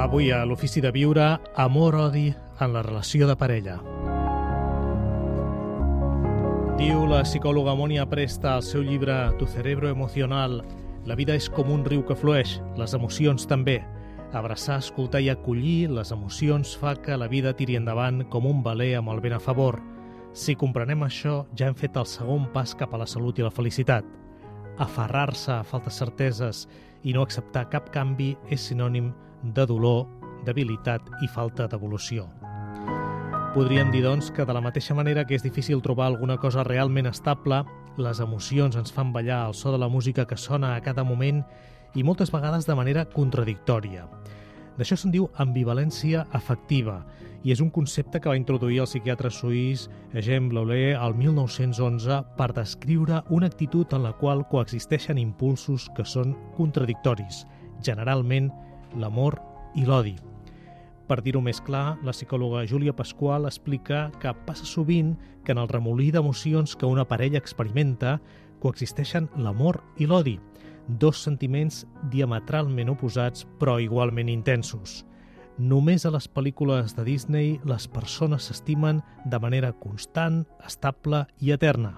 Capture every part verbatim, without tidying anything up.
Avui a l'Ofici de Viure, amor-odi en la relació de parella. Diu la psicòloga Mònia Presta al seu llibre Tu cerebro emocional: la vida és com un riu que flueix, les emocions també. Abraçar, escoltar i acollir les emocions fa que la vida tiri endavant com un veler amb el vent a favor. Si comprenem això, ja hem fet el segon pas cap a la salut i la felicitat. Aferrar-se a faltes certeses i no acceptar cap canvi és sinònim de dolor, debilitat i falta d'evolució. Podríem dir, doncs, que de la mateixa manera que és difícil trobar alguna cosa realment estable, les emocions ens fan ballar al so de la música que sona a cada moment i moltes vegades de manera contradictòria. D'això se'n diu ambivalència afectiva i és un concepte que va introduir el psiquiatre suís Eugène Bleuler al mil nou-cents onze per descriure una actitud en la qual coexisteixen impulsos que són contradictoris, generalment l'amor i l'odi. Per dir-ho més clar, la psicòloga Júlia Pasqual explica que passa sovint que en el remolí d'emocions que una parella experimenta coexisteixen l'amor i l'odi, dos sentiments diametralment oposats però igualment intensos. Només a les pel·lícules de Disney les persones s'estimen de manera constant, estable i eterna.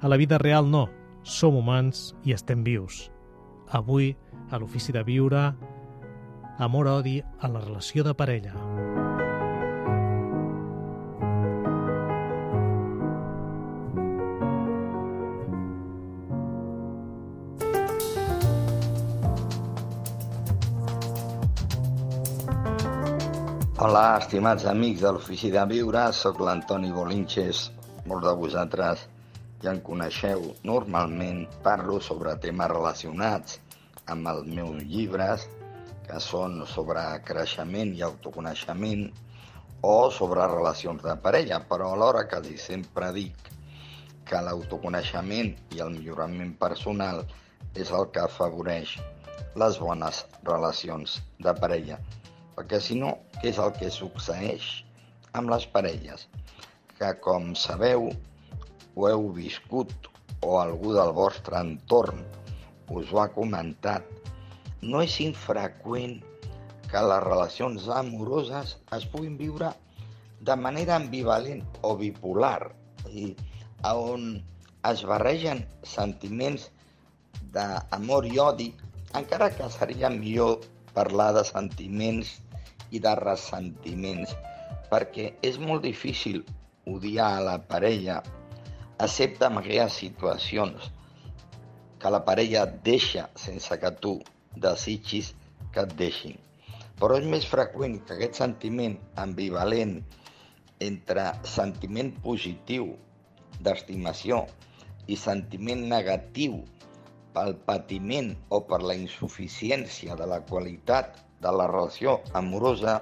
A la vida real no, som humans i estem vius. Avui, a l'Ofici de Viure, amor-odi en la relació de parella. Hola, estimats amics de l'Ofici de Viure, soc l'Antoni Bolinches. Molts de vosaltres ja em coneixeu. Normalment parlo sobre temes relacionats amb els meus llibres, que són sobre creixement i autoconeixement o sobre relacions de parella, però alhora quasi sempre dic que l'autoconeixement i el millorament personal és el que afavoreix les bones relacions de parella. Perquè si no, què és el que succeeix amb les parelles? Que, com sabeu, ho heu viscut o algú del vostre entorn us ho ha comentat, no és infreqüent que les relacions amoroses es puguin viure de manera ambivalent o bipolar, i on es barregen sentiments d'amor i odi, encara que seria millor parlar de sentiments i de ressentiments, perquè és molt difícil odiar a la parella, excepte en aquelles situacions que la parella et deixa sense que tu desitgis que et deixin. Però és més freqüent que aquest sentiment ambivalent entre sentiment positiu d'estimació i sentiment negatiu pel patiment o per la insuficiència de la qualitat de la relació amorosa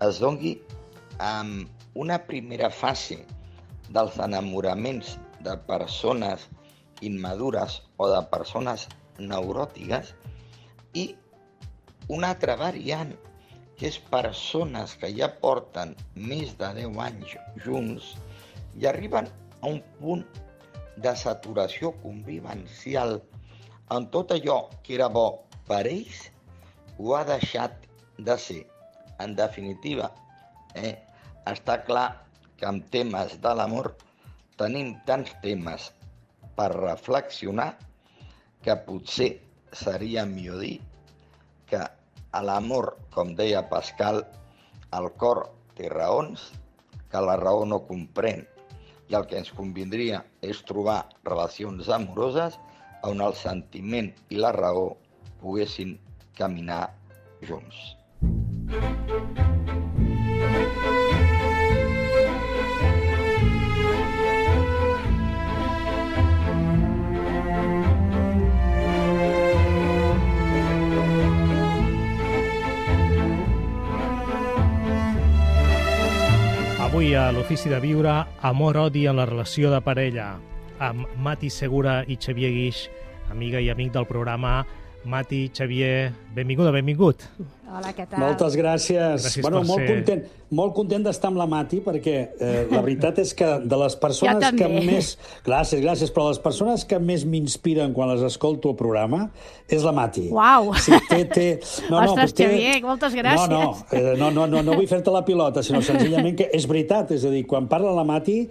es doni amb una primera fase dels enamoraments de persones immadures o de persones neuròtiques i una altra variant, que és persones que ja porten més de deu anys junts i arriben a un punt de saturació convivencial on tot allò que era bo per ells ho ha deixat de ser. En definitiva, eh, està clar que amb temes de l'amor tenim tants temes per reflexionar que potser seria millor dir que a l'amor, com deia Pascal, el cor té raons que la raó no comprèn, i el que ens convindria és trobar relacions amoroses on el sentiment i la raó poguessin caminar junts. Avui a l'Ofici de Viure, amor-odi en la relació de parella, amb Mati Segura i Xavier Guix, amiga i amic del programa. Mati, Xavier, benvinguda, benvingut. Hola, què tal? Moltes gràcies. Gràcies bueno, per molt ser... content, molt content d'estar amb la Mati, perquè eh, la veritat és que de les persones que més... Gràcies, gràcies, però les persones que més m'inspiren quan les escolto al programa és la Mati. Uau! Sí, té, té... No, Ostres, no, té... Xavier, moltes gràcies. No, no, eh, no, no, no, no vull fer-te la pilota, sinó senzillament que és veritat, és a dir, quan parla la Mati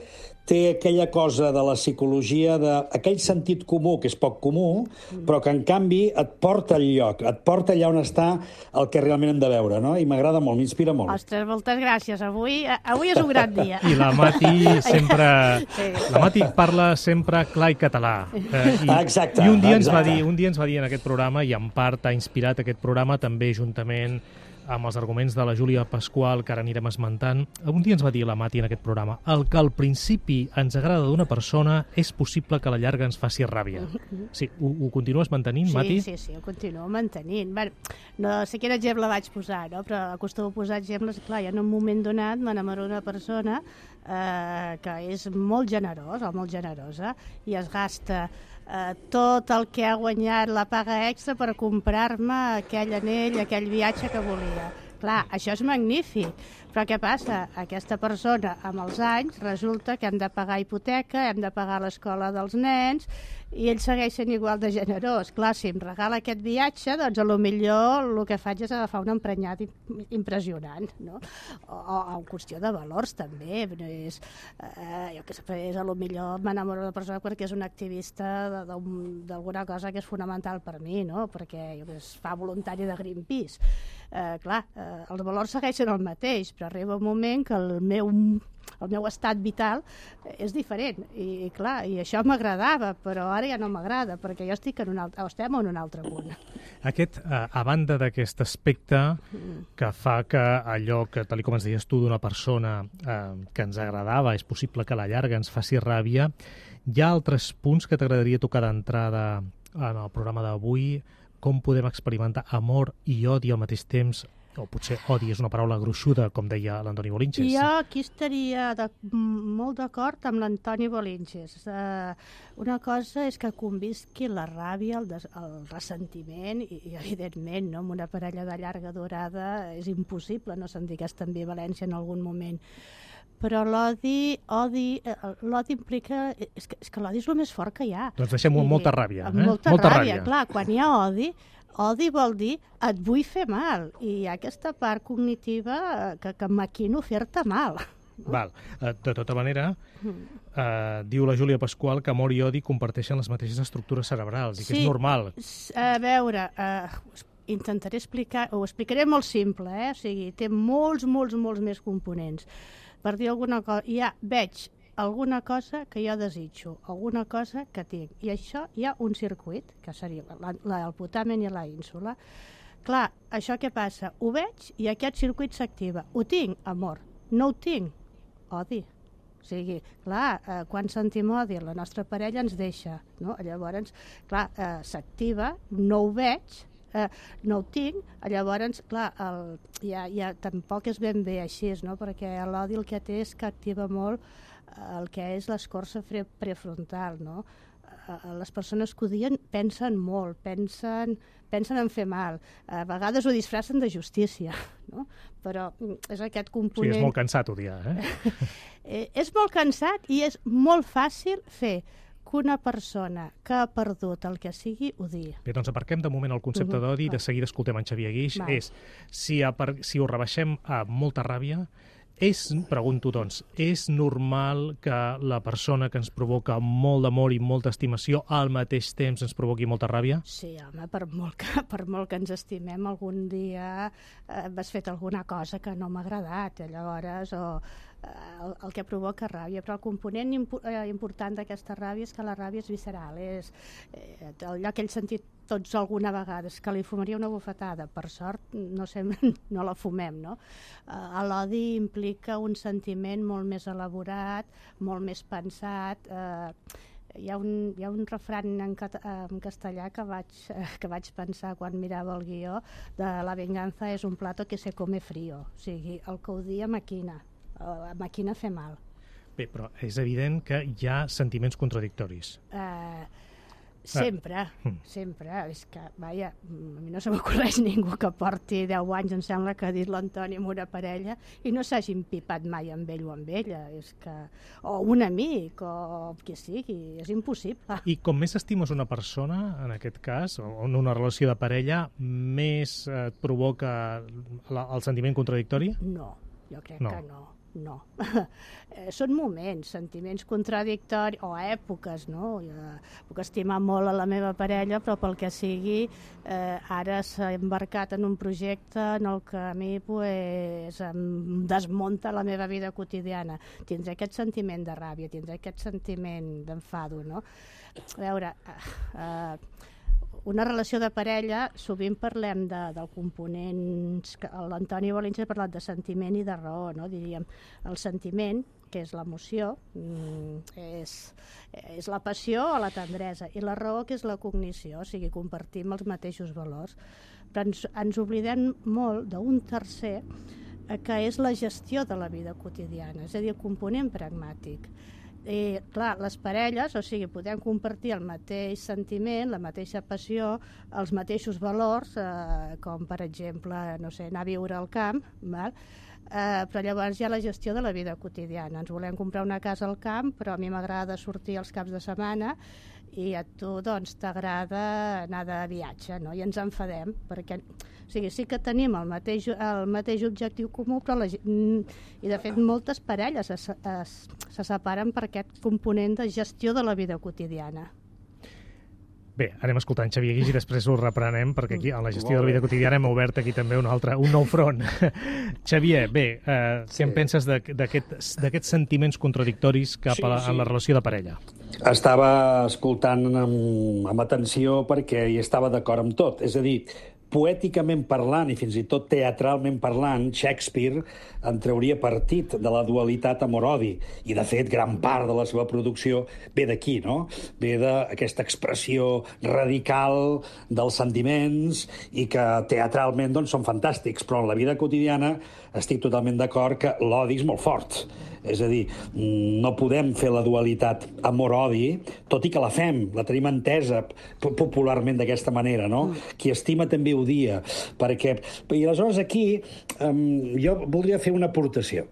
té aquella cosa de la psicologia, de aquell sentit comú, que és poc comú, però que, en canvi, et porta al lloc, et porta allà on està el que realment hem de veure, no? I m'agrada molt, m'inspira molt. Ostres, moltes gràcies. Avui, avui és un gran dia. I la Mati sempre... Sí. La Mati parla sempre clar i català. Eh, i, exacte. I un dia, ens exacte. va dir, un dia ens va dir en aquest programa, i en part ha inspirat aquest programa també juntament amb els arguments de la Júlia Pasqual, que ara anirem esmentant. Un dia ens va dir la Mati en aquest programa: el que al principi ens agrada d'una persona és possible que a la llarga ens faci ràbia. Sí, ho, ho continues mantenint, sí, Mati? Sí, sí, ho continuo mantenint. Bé, no sé quin exemple vaig posar, no? Però acostumo a posar exemples. Clar, ja en un moment donat m'enamoro d'una persona eh, que és molt generosa o molt generosa i es gasta Uh, tot el que ha guanyat la paga extra per comprar-me aquell anell, aquell viatge que volia. Clar, això és magnífic, però què passa? Aquesta persona, amb els anys, resulta que hem de pagar hipoteca, hem de pagar l'escola dels nens, i ell segueix sent igual de generós. Clar, si em regala aquest viatge, doncs a lo millor el que faig és agafar un emprenyat impressionant, no? O, o en qüestió de valors, també. És, eh, jo què sé, és a lo millor m'enamoro de la persona perquè és un activista d'alguna cosa que és fonamental per mi, no? Perquè jo, es fa voluntari de Greenpeace. Eh, clar, eh, els valors segueixen el mateix, però arriba un moment que el meu, el meu estat vital és diferent. I, clar, i això m'agradava, però ara ja no m'agrada, perquè jo estic en un altre, estem en un altre punt. Aquest, eh, a banda d'aquest aspecte que fa que allò que, tal com ens deies tu, d'una persona eh, que ens agradava, és possible que a la llarga ens faci ràbia, hi ha altres punts que t'agradaria tocar d'entrada en el programa d'avui? Com podem experimentar amor i odi al mateix temps? O potser odi és una paraula gruixuda, com deia l'Antoni Bolinches. Jo aquí estaria de, molt d'acord amb l'Antoni Bolinches. Uh, una cosa és que convisqui la ràbia, el, des, el ressentiment, i, i evidentment, no, amb una parella de llarga durada és impossible no sentir aquesta ambivalència en algun moment. Però l'odi, odi, l'odi implica... És que, és que l'odi és el més fort que hi ha. Doncs deixem-ho amb molta ràbia. Eh? Molta, molta ràbia, ràbia, clar. Quan hi ha odi, odi vol dir et vull fer mal. I hi ha aquesta part cognitiva que, que maquino fer-te mal. No? Val. De tota manera, eh, diu la Júlia Pasqual que amor i odi comparteixen les mateixes estructures cerebrals i que sí, és normal. A veure... Eh, intentaré explicar, ho explicaré molt simple, eh? O sigui, té molts, molts, molts més components. Per dir alguna cosa, ja veig alguna cosa que jo desitjo, alguna cosa que tinc, i això hi ha un circuit, que seria la, la, el putamen i la ínsula. Clar, això què passa? Ho veig i aquest circuit s'activa. Ho tinc, amor. No ho tinc, odi. O sigui, clar, eh, quan sentim odi, la nostra parella ens deixa, no? Llavors, clar, eh, s'activa, no ho veig, Uh, no ho tinc, llavors, clar, el, ja, ja tampoc és ben bé així, no? Perquè l'odi el que té és que activa molt el que és l'escorça prefrontal, no? Uh, les persones que odien pensen molt, pensen, pensen en fer mal, a vegades ho disfressen de justícia, no? Però és aquest component... Sí, és molt cansat odiar, eh? eh és molt cansat i és molt fàcil fer que una persona que ha perdut el que sigui odi. Bé, doncs aparquem de moment el concepte uh-huh. d'odi i de seguida escoltem en Xavier Guix. Va. És, si, a, si ho rebaixem a molta ràbia, és, pregunto doncs, és normal que la persona que ens provoca molt d'amor i molta estimació al mateix temps ens provoqui molta ràbia? Sí, home, per molt que, per molt que ens estimem, algun dia eh, has fet alguna cosa que no m'ha agradat, llavors, o el, el que provoca ràbia, però el component impo eh, important d'aquesta ràbia és que la ràbia és visceral, és eh, allò que ell sentit tots alguna vegada, és que li fumaria una bufetada, per sort no, sempre, no la fumem, no? Eh, l'odi implica un sentiment molt més elaborat, molt més pensat, eh, hi ha un, hi ha un refran en, cat en castellà que vaig, eh, que vaig pensar quan mirava el guió de La venganza és un plato que se come frío, o sigui, el que odia maquina, la màquina fer mal. Bé, però és evident que hi ha sentiments contradictoris. Eh, Sempre, sempre. És que, vaja, a mi no se m'ocorreix ningú que porti deu anys, em sembla que ha dit l'Antoni, amb una parella i no s'hagi empipat mai amb ell o amb ella. És que... O un amic, o qui sigui, és impossible. I com més estimes una persona, en aquest cas, o en una relació de parella, més et provoca la, el sentiment contradictori? No, jo crec no. que no. No. Són moments, sentiments contradictoris o èpoques, no? Jo puc estimar molt a la meva parella, però pel que sigui, eh, ara s'ha embarcat en un projecte en el que a mi pues, em desmunta la meva vida quotidiana. Tindré aquest sentiment de ràbia, tindré aquest sentiment d'enfado, no? A veure... Eh, eh, una relació de parella, sovint parlem de, del component, l'Antoni Bolinches ha parlat de sentiment i de raó, no? Diríem, el sentiment, que és l'emoció, és, és la passió o la tendresa, i la raó, que és la cognició, o sigui, compartim els mateixos valors. Però ens, ens oblidem molt d'un tercer, que és la gestió de la vida quotidiana, és a dir, el component pragmàtic. I, clar, les parelles, o sigui, podem compartir el mateix sentiment, la mateixa passió, els mateixos valors, eh, com per exemple, no sé, anar a viure al camp, val? Eh, però llavors hi ha la gestió de la vida quotidiana. Ens volem comprar una casa al camp, però a mi m'agrada sortir els caps de setmana i a tu, doncs, t'agrada anar de viatge, no? I ens enfadem, perquè... O sigui, sí que tenim el mateix, el mateix objectiu comú, però la, i de fet moltes parelles es, es, se separen per aquest component de gestió de la vida quotidiana. Bé, anem escoltant Xavier Guix i després ho reprenem, perquè aquí, a la gestió de la vida quotidiana, hem obert aquí també un altre, un nou front. Xavier, bé, eh, què sí. en penses d'aquests sentiments contradictoris cap sí, a la, sí. en la relació de parella? Estava escoltant amb, amb atenció perquè hi estava d'acord amb tot. És a dir, poèticament parlant i fins i tot teatralment parlant, Shakespeare en trauria partit de la dualitat amor-odi. I, de fet, gran part de la seva producció ve d'aquí, no? Ve d'aquesta expressió radical dels sentiments i que teatralment doncs, són fantàstics, però en la vida quotidiana estic totalment d'acord que l'odi és molt fort. És a dir, no podem fer la dualitat amor-odi, tot i que la fem, la tenim entesa popularment d'aquesta manera, no? Mm. Qui estima també odia, perquè... I aleshores aquí um, jo voldria fer una aportació.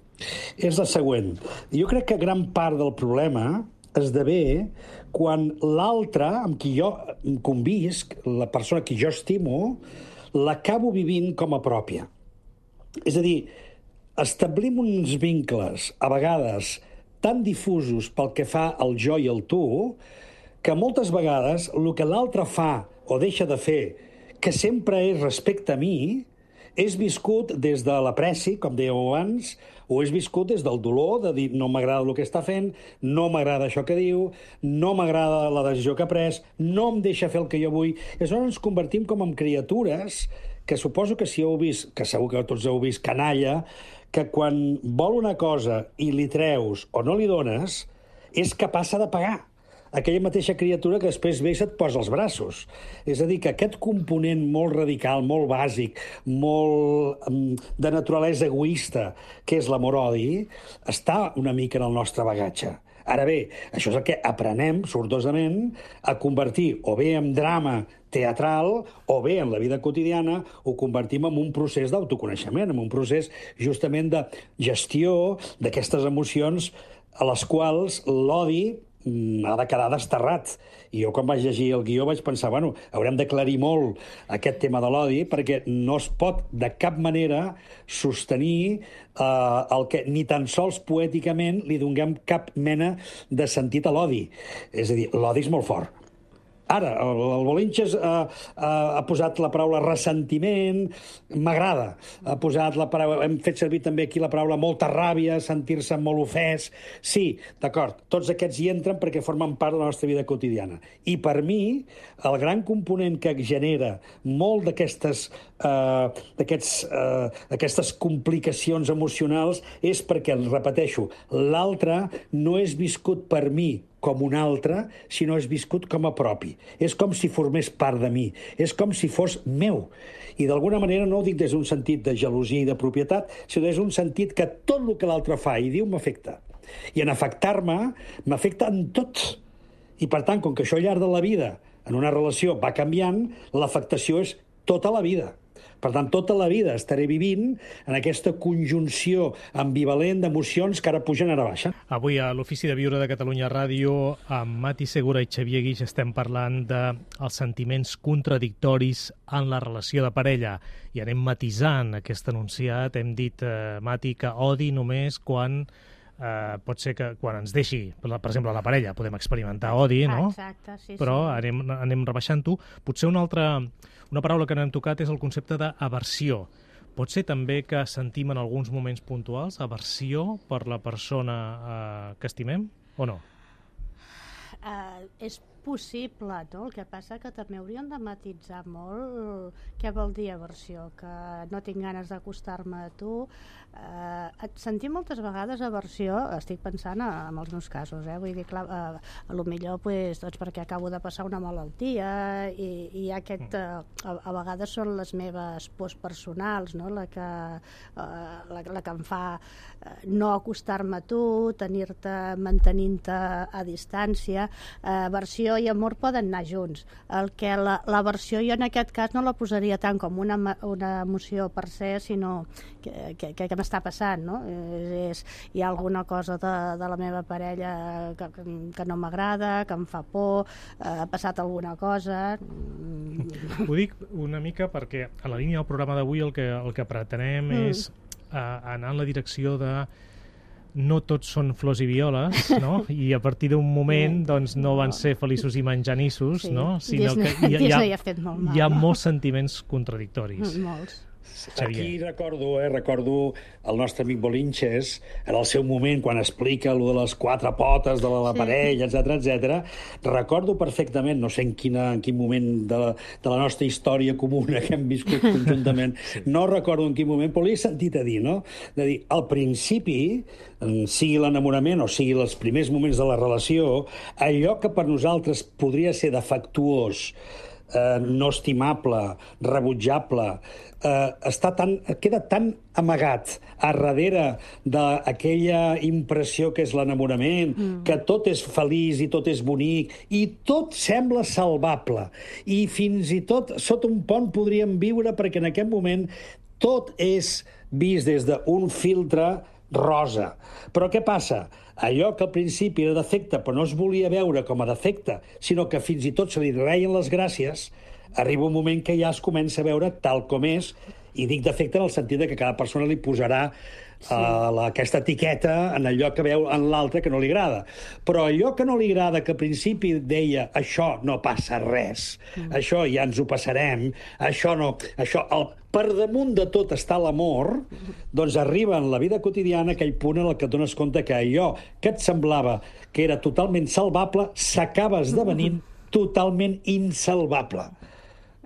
És la següent. Jo crec que gran part del problema esdevé quan l'altre, amb qui jo convisc, la persona que jo estimo, l'acabo vivint com a pròpia. És a dir, establim uns vincles, a vegades, tan difusos pel que fa al jo i al tu, que moltes vegades el que l'altre fa o deixa de fer, que sempre és respecte a mi, és viscut des de l'apreci, com dèieu abans, o és viscut des del dolor, de dir no m'agrada el que està fent, no m'agrada això que diu, no m'agrada la decisió que ha pres, no em deixa fer el que jo vull. I aleshores ens convertim com en criatures que suposo que si heu vist, que segur que tots heu vist, canalla, que quan vol una cosa i li treus o no li dones, és capaç de pagar aquella mateixa criatura que després ve i se't posa els braços. És a dir, que aquest component molt radical, molt bàsic, molt de naturalesa egoista, que és l'amor-odi, està una mica en el nostre bagatge. Ara bé, això és el que aprenem, sortosament, a convertir o bé en drama teatral o bé en la vida quotidiana ho convertim en un procés d'autoconeixement, en un procés justament de gestió d'aquestes emocions a les quals l'odi ha de quedar desterrat. I jo, quan vaig llegir el guió, vaig pensar, bueno, haurem d'aclarir molt aquest tema de l'odi, perquè no es pot de cap manera sostenir eh, el que ni tan sols poèticament li donem cap mena de sentit a l'odi. És a dir, l'odi és molt fort. Ara, el, el Bolinches ha, ha, ha posat la paraula ressentiment, m'agrada. Ha posat la paraula, hem fet servir també aquí la paraula molta ràbia, sentir-se molt ofès. Sí, d'acord, tots aquests hi entren perquè formen part de la nostra vida quotidiana. I per mi, el gran component que genera molt d'aquestes eh, d'aquests, eh, d'aquestes complicacions emocionals és perquè, repeteixo, l'altre no és viscut per mi com un altre, sinó és viscut com a propi. És com si formés part de mi. És com si fos meu. I d'alguna manera no ho dic des d'un sentit de gelosia i de propietat, sinó des d'un sentit que tot el que l'altre fa i diu m'afecta. I en afectar-me, m'afecta en tot. I per tant, com que això al llarg de la vida en una relació va canviant, l'afectació és tota la vida. Per tant, tota la vida estaré vivint en aquesta conjunció ambivalent d'emocions que ara pugen, ara baixen. Avui a l'Ofici de Viure de Catalunya Ràdio, amb Mati Segura i Xavier Guix, estem parlant dels sentiments contradictoris en la relació de parella. I anem matisant aquest enunciat. Hem dit, eh, Mati, que odi només quan... Uh, pot ser que quan ens deixi, per exemple, la parella, podem experimentar odi, no? Exacte, sí, Però sí. anem, anem rebaixant-ho. Potser una altra, una paraula que no hem tocat és el concepte d'aversió. Pot ser també que sentim en alguns moments puntuals aversió per la persona uh, que estimem, o no? Uh, és possible, no? El que passa que també hauríem de matitzar molt què vol dir aversió, que no tinc ganes d'acostar-me a tu. Uh, et sentim moltes vegades aversió, estic pensant en els meus casos, eh? Vull dir, clar, uh, a lo millor pues, doncs perquè acabo de passar una malaltia i, i aquest, uh, a, a vegades són les meves pors personals, no? la, que, uh, la, la que em fa uh, no acostar-me a tu, tenir-te, mantenint-te a distància. Uh, aversió i amor poden anar junts. El que la, l'aversió jo en aquest cas no la posaria tant com una, una emoció per se, sinó que, que, que m'està passant, no? És, és, hi ha alguna cosa de, de la meva parella que, que no m'agrada, que em fa por, eh, ha passat alguna cosa... Ho dic una mica perquè a la línia del programa d'avui el que, el que pretenem mm. és uh, anar en la direcció de no tots són flors i violes, no? I a partir d'un moment doncs, no van ser feliços i menjanissos, sí. no? Sinó Disney, que hi, hi, ha, hi ha, fet molt mal, hi ha no? molts sentiments contradictoris. Molts. Xavier. Aquí recordo, eh, recordo el nostre amic Bolinches, en el seu moment, quan explica allò de les quatre potes de la, la sí. parella, etcètera, etcètera. Recordo perfectament, no sé en, quina, en quin moment de la, de la nostra història comuna que hem viscut conjuntament, sí. no recordo en quin moment, però li he sentit a dir, no? De dir, al principi, sigui l'enamorament o sigui els primers moments de la relació, allò que per nosaltres podria ser defectuós, eh, no estimable, rebutjable, eh, està tan, queda tan amagat a darrere d'aquella impressió que és l'enamorament, mm. que tot és feliç i tot és bonic, i tot sembla salvable. I fins i tot sota un pont podríem viure perquè en aquest moment tot és vist des d'un filtre rosa. Però què passa? Allò que al principi era defecte però no es volia veure com a defecte, sinó que fins i tot se li reien les gràcies, arriba un moment que ja es comença a veure tal com és, i dic defecte en el sentit que cada persona li posarà sí. uh, la, aquesta etiqueta en allò que veu en l'altre que no li agrada. Però allò que no li agrada, que al principi deia això no passa res, mm. això ja ens ho passarem, això no... Això, el, per damunt de tot està l'amor, doncs arriba en la vida quotidiana aquell punt en el que et dones compte que allò que et semblava que era totalment salvable s'acaba esdevenint totalment insalvable.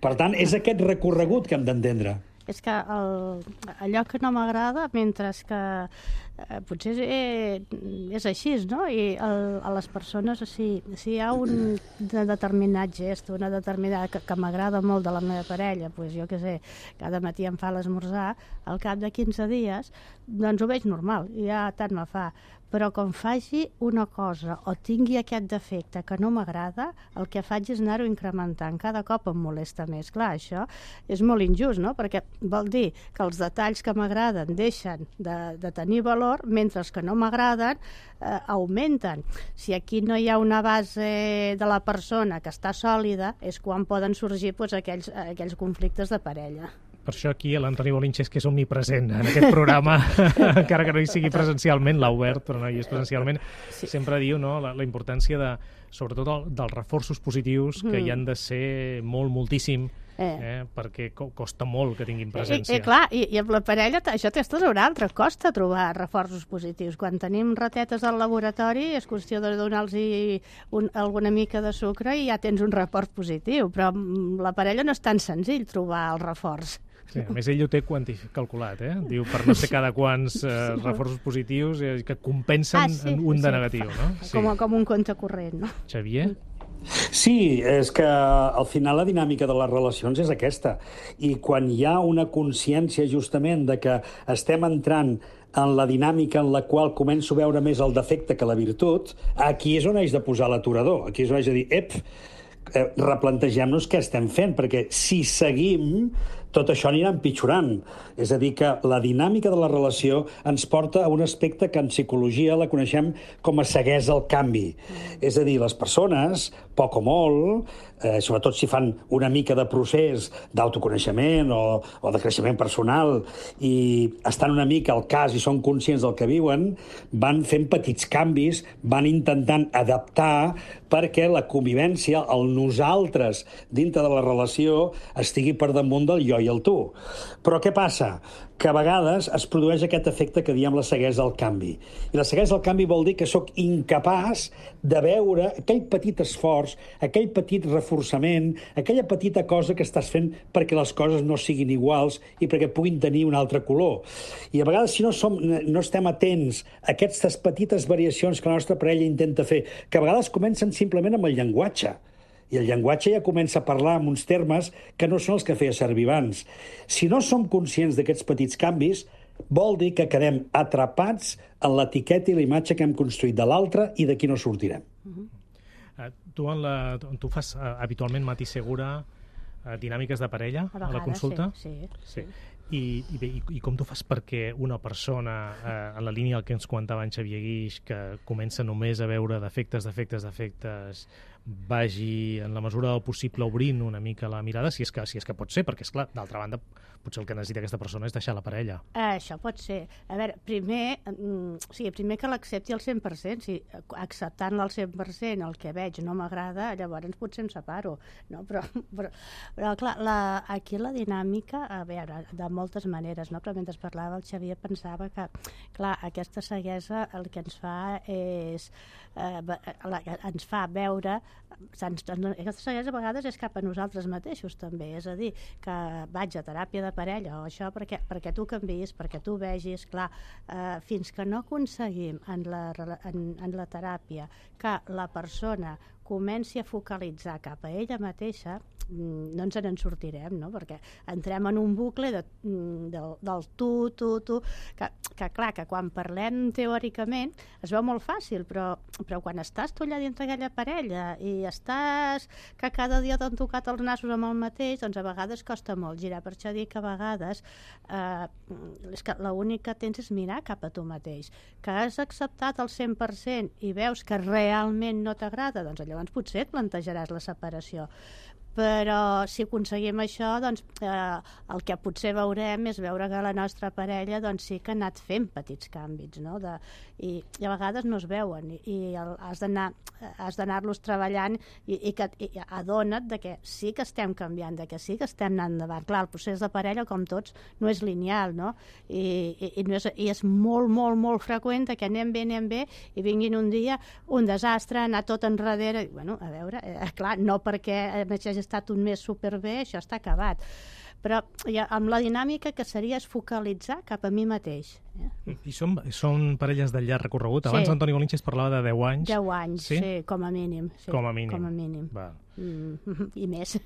Per tant, és aquest recorregut que hem d'entendre. És que el, allò que no m'agrada, mentre que eh, potser és, és així, no? I el, a les persones, si, si hi ha un de determinat gest, una determinada que, que m'agrada molt de la meva parella, doncs jo què sé, cada matí em fa l'esmorzar, al cap de quinze dies, doncs ho veig normal, i ja tant me fa. Però quan faci una cosa o tingui aquest defecte que no m'agrada, el que faig és anar-ho incrementant. Cada cop em molesta més. Clar, això és molt injust, no? Perquè vol dir que els detalls que m'agraden deixen de, de tenir valor, mentre els que no m'agraden eh, augmenten. Si aquí no hi ha una base de la persona que està sòlida, és quan poden sorgir doncs, aquells, aquells conflictes de parella. Per això aquí l'Antoni Bolinches, que és omnipresent en aquest programa, encara que no hi sigui presencialment, l'ha obert, però no hi és presencialment, sí. sempre diu no, la, la importància de, sobretot el, dels reforços positius, que mm. hi han de ser molt, moltíssim, eh. Eh, perquè co costa molt que tinguin presència. I, i, clar, i, i amb la parella això té tot un altre, costa trobar reforços positius. Quan tenim ratetes al laboratori és qüestió de donar-los un, alguna mica de sucre i ja tens un reforç positiu, però la parella no és tan senzill trobar el reforç. Sí, a més, ell ho té calculat, eh? Diu, per no sé cada quants eh, reforços positius eh, que compensen ah, sí, un de sí. negatiu, no? Sí. Com, com un compte corrent, no? Xavier? Sí, és que al final la dinàmica de les relacions és aquesta. I quan hi ha una consciència justament de que estem entrant en la dinàmica en la qual començo a veure més el defecte que la virtut, aquí és on haig de posar l'aturador. Aquí és on haig de dir, ep, eh, replantegem-nos què estem fent, perquè si seguim, tot això anirà empitjorant. És a dir, que la dinàmica de la relació ens porta a un aspecte que en psicologia la coneixem com a ceguesa al canvi. És a dir, les persones, poc o molt, eh, sobretot si fan una mica de procés d'autoconeixement o, o de creixement personal i estan una mica al cas i són conscients del que viuen, van fent petits canvis, van intentant adaptar perquè la convivència, el nosaltres dintre de la relació, estigui per damunt del jo i el tu. Però què passa? Que a vegades es produeix aquest efecte que diem la ceguesa al canvi. I la ceguesa al canvi vol dir que sóc incapaç de veure aquell petit esforç, aquell petit reforçament, aquella petita cosa que estàs fent perquè les coses no siguin iguals i perquè puguin tenir un altre color. I a vegades, si no, som, no estem atents a aquestes petites variacions que la nostra parella intenta fer, que a vegades comencen simplement amb el llenguatge, i el llenguatge ja comença a parlar amb uns termes que no són els que feia servir abans. Si no som conscients d'aquests petits canvis, vol dir que quedem atrapats en l'etiqueta i la imatge que hem construït de l'altre i d'aquí no sortirem. Uh-huh. uh, tu, en la, tu fas uh, habitualment, Mati Segura, uh, dinàmiques de parella a, vegades, a la consulta? Sí, sí. sí. I, i, bé, i, I com tu fas perquè una persona, eh, en la línia del que ens comentava en Xavier Guix, que comença només a veure defectes, defectes, defectes, vagi en la mesura del possible obrint una mica la mirada, si és que, si és que pot ser, perquè, esclar, d'altra banda, potser el que necessita aquesta persona és deixar la parella. Uh, això pot ser. A veure, primer, mm, o sigui, primer que l'accepti al cent per cent. Si acceptant-la al cent per cent el que veig no m'agrada, llavors potser em separo. No? Però, però, però clar, la, aquí la dinàmica, a veure, de moltes maneres, no? Però mentre parlava el Xavier pensava que, clar, aquesta ceguesa el que ens fa és... Eh, la, ens fa veure... Ens, aquesta ceguesa a vegades és cap a nosaltres mateixos, també. És a dir, que vaig a teràpia de parella o això perquè, perquè tu canviïs, perquè tu vegis, clar, eh, fins que no aconseguim en la, en, en la teràpia que la persona comenci a focalitzar cap a ella mateixa, no ens en sortirem, no? Perquè entrem en un bucle de, de, del tu, tu, tu, que, que clar, que quan parlem teòricament es veu molt fàcil, però, però quan estàs tu allà dintre aquella parella i estàs que cada dia t'han tocat els nassos amb el mateix, doncs a vegades costa molt girar. Per això dic que a vegades eh, és que l'únic que tens és mirar cap a tu mateix. Que has acceptat el cent per cent i veus que realment no t'agrada, doncs llavors potser et plantejaràs la separació. Però si aconseguim això, doncs eh, el que potser veurem és veure que la nostra parella doncs, sí que ha anat fent petits canvis, no? De, i, i a vegades no es veuen i, i el, has d'anar has d'anar-los treballant i, i, que, i adona't de que sí que estem canviant, de que sí que estem anant endavant. Clar, el procés de parella, com tots, no és lineal, no? I, i, i, no és, i és molt, molt, molt freqüent que anem bé, anem bé i vinguin un dia un desastre, anar tot enrere. I, bueno, a veure, eh, clar, no perquè hagi estat un mes superbé, això està acabat. Però ja, amb la dinàmica que seria és focalitzar cap a mi mateix. Eh? I són, són parelles de llarg recorregut? Abans sí. Antoni Bolinches parlava de deu anys. deu anys, sí, sí com a mínim. Sí, com a mínim. Com a mínim. Va. Mm, I més.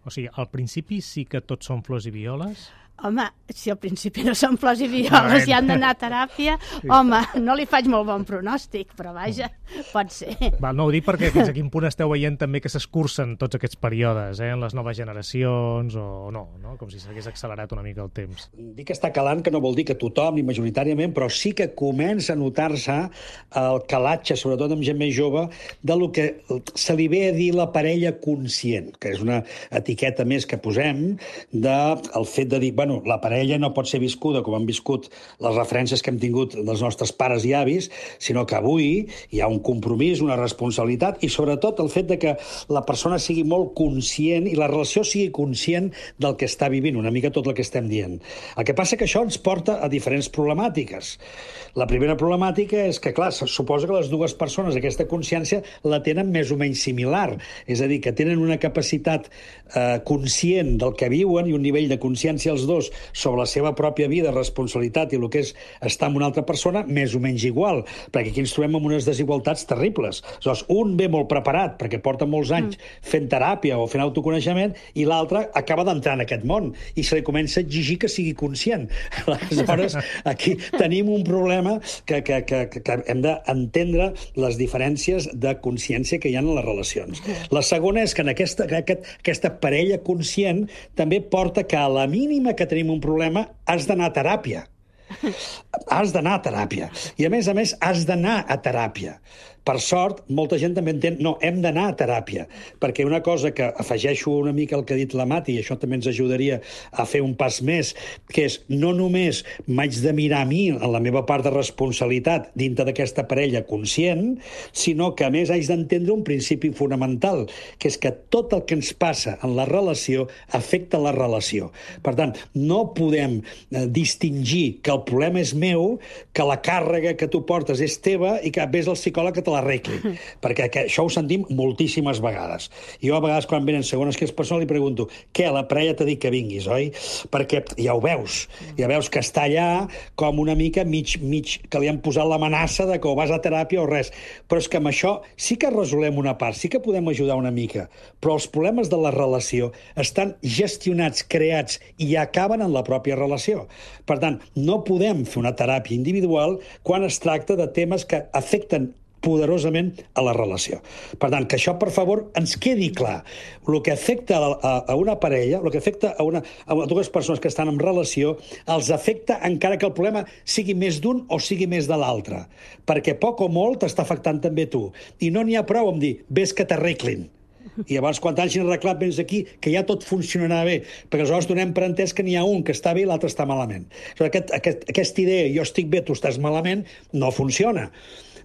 O sigui, al principi sí que tots són flors i violes? Home, si al principi no són flors i violes i han d'anar a teràpia, sí. Home, no li faig molt bon pronòstic, però vaja, pot ser. Val, no ho dic perquè fins a quin punt esteu veient també que s'escurcen tots aquests períodes, eh, en les noves generacions o no, no? Com si s'hagués accelerat una mica el temps. Dic que està calant, que no vol dir que tothom, ni majoritàriament, però sí que comença a notar-se el calatge, sobretot amb gent més jove, de lo que se li ve a dir la parella conscient, que és una etiqueta més que posem del fet de dir, bueno, la parella no pot ser viscuda com han viscut les referències que hem tingut dels nostres pares i avis, sinó que avui hi ha un compromís, una responsabilitat i sobretot el fet de que la persona sigui molt conscient i la relació sigui conscient del que està vivint, una mica tot el que estem dient. El que passa que això ens porta a diferents problemàtiques. La primera problemàtica és que, clar, suposa que les dues persones aquesta consciència la tenen més o menys similar, és a dir, que tenen una capacitat eh, conscient del que viuen i un nivell de consciència els dos dos sobre la seva pròpia vida, responsabilitat i el que és estar amb una altra persona, més o menys igual, perquè aquí ens trobem amb unes desigualtats terribles. Aleshores, un ve molt preparat, perquè porta molts anys mm. fent teràpia o fent autoconeixement, i l'altre acaba d'entrar en aquest món, i se li comença a exigir que sigui conscient. Aleshores, aquí tenim un problema que, que, que, que hem d'entendre les diferències de consciència que hi ha en les relacions. La segona és que en aquesta, aquest, aquesta parella conscient també porta que a la mínima que tenim un problema has d'anar a teràpia. Has d'anar a teràpia. I a més a més has d'anar a teràpia. Per sort, molta gent també entén, no, hem d'anar a teràpia, perquè una cosa que afegeixo una mica al que ha dit la Mati, i això també ens ajudaria a fer un pas més, que és no només m'haig de mirar a mi en la meva part de responsabilitat dintre d'aquesta parella conscient, sinó que a més haig d'entendre un principi fonamental, que és que tot el que ens passa en la relació afecta la relació. Per tant, no podem eh, distingir que el problema és meu, que la càrrega que tu portes és teva i que vés al psicòleg que te l'arregli, perquè això ho sentim moltíssimes vegades. Jo a vegades quan venen segones que és persona li pregunto, què, la parella t'ha dit que vinguis, oi? Perquè ja ho veus, ja veus que està allà com una mica mig, mig que li han posat l'amenaça de que o vas a teràpia o res. Però és que amb això sí que resolem una part, sí que podem ajudar una mica, però els problemes de la relació estan gestionats, creats i acaben en la pròpia relació. Per tant, no podem fer una teràpia individual quan es tracta de temes que afecten poderosament a la relació. Per tant, que això, per favor, ens quedi clar. El que afecta a, a una parella, el que afecta a, una, a dues persones que estan en relació, els afecta encara que el problema sigui més d'un o sigui més de l'altre. Perquè poc o molt t'està afectant també tu. I no n'hi ha prou amb dir, ves que t'arreglin. I llavors, quan t'hagin arreglat, vens aquí, que ja tot funcionarà bé, perquè aleshores donem per entès que n'hi ha un que està bé i l'altre està malament. Aquest, aquest, aquesta idea, jo estic bé, tu estàs malament, no funciona.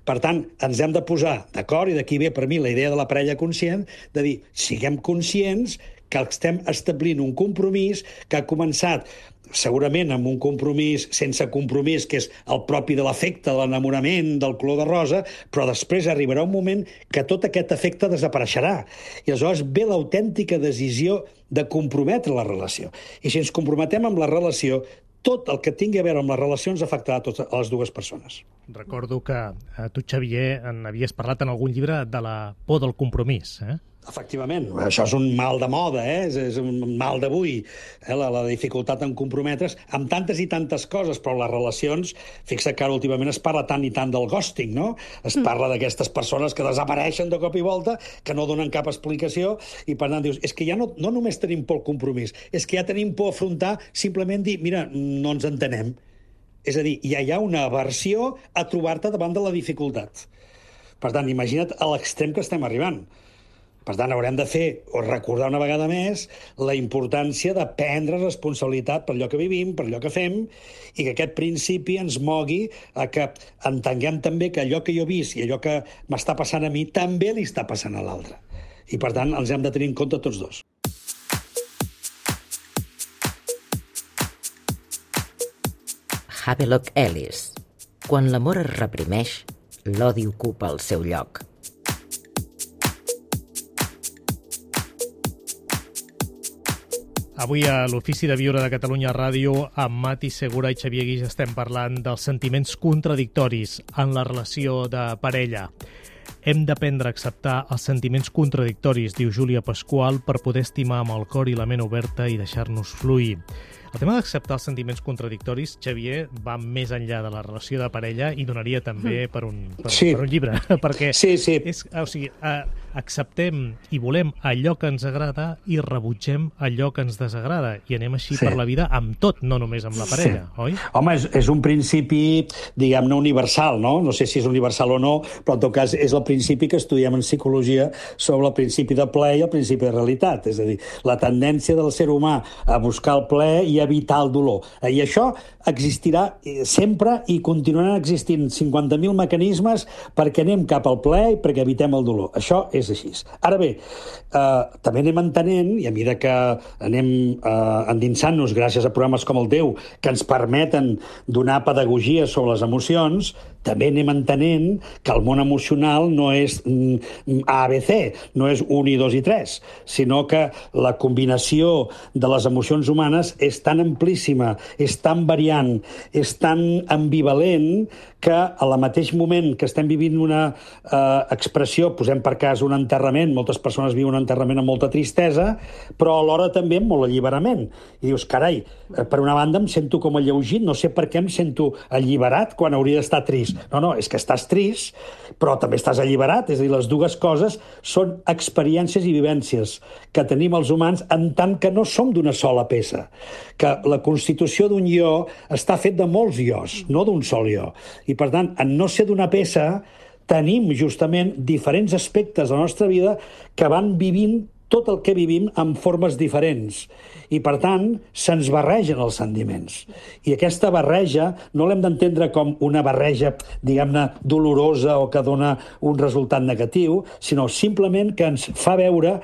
Per tant, ens hem de posar d'acord, i d'aquí ve per mi la idea de la parella conscient, de dir, siguem conscients que estem establint un compromís que ha començat segurament amb un compromís sense compromís, que és el propi de l'afecte, de l'enamorament, del color de rosa, però després arribarà un moment que tot aquest efecte desapareixerà. I aleshores ve l'autèntica decisió de comprometre la relació. I si ens comprometem amb la relació, tot el que tingui a veure amb les relacions afectarà a totes les dues persones. Recordo que eh, tu, Xavier, en havies parlat en algun llibre de la por del compromís, eh? Efectivament, això és un mal de moda, eh? és, és un mal d'avui, eh? la, la dificultat en comprometre's amb tantes i tantes coses, però les relacions, fixa que ara últimament es parla tant i tant del ghosting, no? Es parla d'aquestes persones que desapareixen de cop i volta, que no donen cap explicació, i per tant dius, és que ja no, no només tenim por al compromís, és que ja tenim por a afrontar simplement dir, mira, no ens entenem. És a dir, ja hi ha una aversió a trobar-te davant de la dificultat. Per tant, imagina't a l'extrem que estem arribant. Per tant, haurem de fer, o recordar una vegada més, la importància de prendre responsabilitat per allò que vivim, per allò que fem, i que aquest principi ens mogui a que entenguem també que allò que jo he vist i allò que m'està passant a mi també li està passant a l'altre. I, per tant, els hem de tenir en compte tots dos. Havelock Ellis. Quan l'amor es reprimeix, l'odi ocupa el seu lloc. Avui a l'Ofici de Viure de Catalunya Ràdio, amb Mati Segura i Xavier Guix estem parlant dels sentiments contradictoris en la relació de parella. Hem d'aprendre a acceptar els sentiments contradictoris, diu Júlia Pasqual, per poder estimar amb el cor i la ment oberta i deixar-nos fluir. El tema d'acceptar els sentiments contradictoris, Xavier, va més enllà de la relació de parella i donaria també per un, per, sí. per un llibre, perquè sí, sí. És, o sigui, eh, acceptem i volem allò que ens agrada i rebutgem allò que ens desagrada, i anem així sí. per la vida amb tot, no només amb la parella, sí. oi? Home, és, és un principi, diguem-ne, universal, no? No sé si és universal o no, però en tot cas és el principi que estudiem en psicologia sobre el principi de plaer i el principi de realitat, és a dir, la tendència del ser humà a buscar el plaer i evitar el dolor. I això existirà sempre i continuaran existint cinquanta mil mecanismes perquè anem cap al plaer i perquè evitem el dolor. Això és així. Ara bé, eh, també anem entenent, i a mesura que anem eh, endinsant-nos gràcies a programes com el teu, que ens permeten donar pedagogia sobre les emocions, també anem entenent que el món emocional no és A, B, C, no és un i dos i tres, sinó que la combinació de les emocions humanes és tan amplíssima, és tan variant, és tan ambivalent, que al mateix moment que estem vivint una eh, expressió, posem per cas un enterrament, moltes persones viuen un enterrament amb molta tristesa, però alhora també amb molt alliberament. I dius, carai, eh, per una banda em sento com alleugit, no sé per què em sento alliberat quan hauria d'estar trist. No, no, és que estàs trist, però també estàs alliberat, és a dir, les dues coses són experiències i vivències que tenim els humans en tant que no som d'una sola peça, que la constitució d'un jo està fet de molts ios, no d'un sol jo. I, per tant, en no ser d'una peça, tenim justament diferents aspectes de la nostra vida que van vivint tot el que vivim en formes diferents. I, per tant, se'ns barregen els sentiments. I aquesta barreja no l'hem d'entendre com una barreja, diguem-ne, dolorosa o que dona un resultat negatiu, sinó simplement que ens fa veure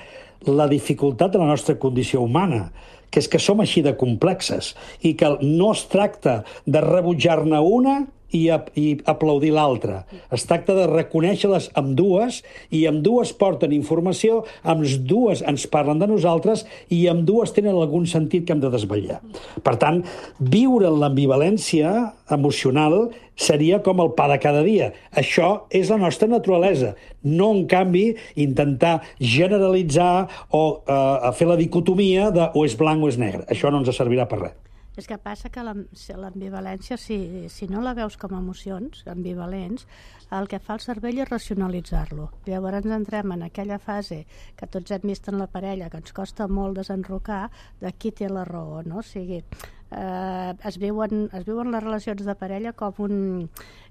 la dificultat de la nostra condició humana, que és que som així de complexes i que no es tracta de rebutjar-ne una i, i aplaudir l'altra. Es tracta de reconèixer-les amb dues, i amb dues porten informació, amb dues ens parlen de nosaltres, i amb dues tenen algun sentit que hem de desvetllar. Per tant, viure en l'ambivalència emocional seria com el pa de cada dia. Això és la nostra naturalesa. No, en canvi, intentar generalitzar o eh, fer la dicotomia de o és blanc o és negre. Això no ens servirà per res. És que passa que l'ambivalència, si, si no la veus com a emocions ambivalents, el que fa el cervell és racionalitzar-lo. Llavors entrem en aquella fase que tots hem vist en la parella, que ens costa molt desenrocar de qui té la raó, no? O sigui, eh, es, viuen, es viuen les relacions de parella com un...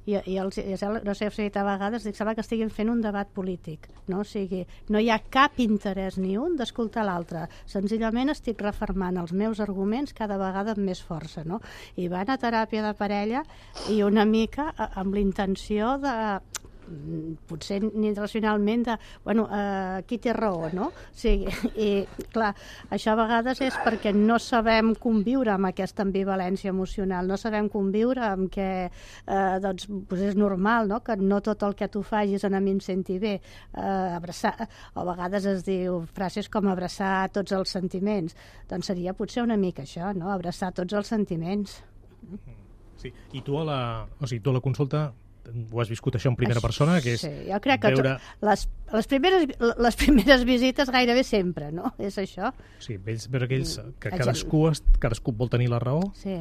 I, i els, i no sé, si a vegades dic, sembla que estiguin fent un debat polític, no? O sigui, no hi ha cap interès ni un d'escoltar l'altre. Senzillament estic refermant els meus arguments cada vegada amb més força, no? I van a teràpia de parella i una mica amb la intenció de... potser ni racionalment de, bueno, eh, qui té raó, no? O sigui, i clar, això a vegades és perquè no sabem conviure amb aquesta ambivalència emocional, no sabem conviure amb que eh, doncs, doncs és normal, no? Que no tot el que tu facis a mi em senti bé, eh, abraçar, o a vegades es diu frases com abraçar tots els sentiments, doncs seria potser una mica això, no? Abraçar tots els sentiments. Sí, i tu a la, o sigui, tu a la consulta ho has viscut això en primera persona, que és sí, jo crec que veure... les, les, primeres, les primeres visites gairebé sempre, no? És això. Sí, vells, però aquells que cadascú, cadascú vol tenir la raó. Sí.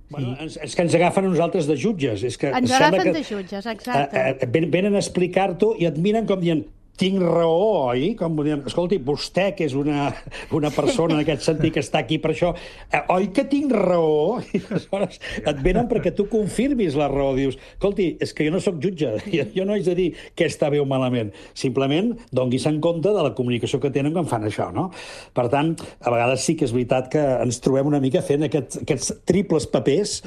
Bueno, és, és que ens agafen a nosaltres de jutges. És que ens agafen que, de jutges, exacte. Eh, eh, venen a explicar-t'ho i et miren com dient tinc raó, oi? Com dient, escolti, vostè, que és una, una persona en aquest sentit que està aquí per això, eh, oi que tinc raó? I aleshores et venen perquè tu confirmis la raó. Dius, escolti, és que jo no sóc jutge, jo, jo no haig de dir què està bé o malament. Simplement donguis en compte de la comunicació que tenen quan fan això, no? Per tant, a vegades sí que és veritat que ens trobem una mica fent aquest, aquests triples papers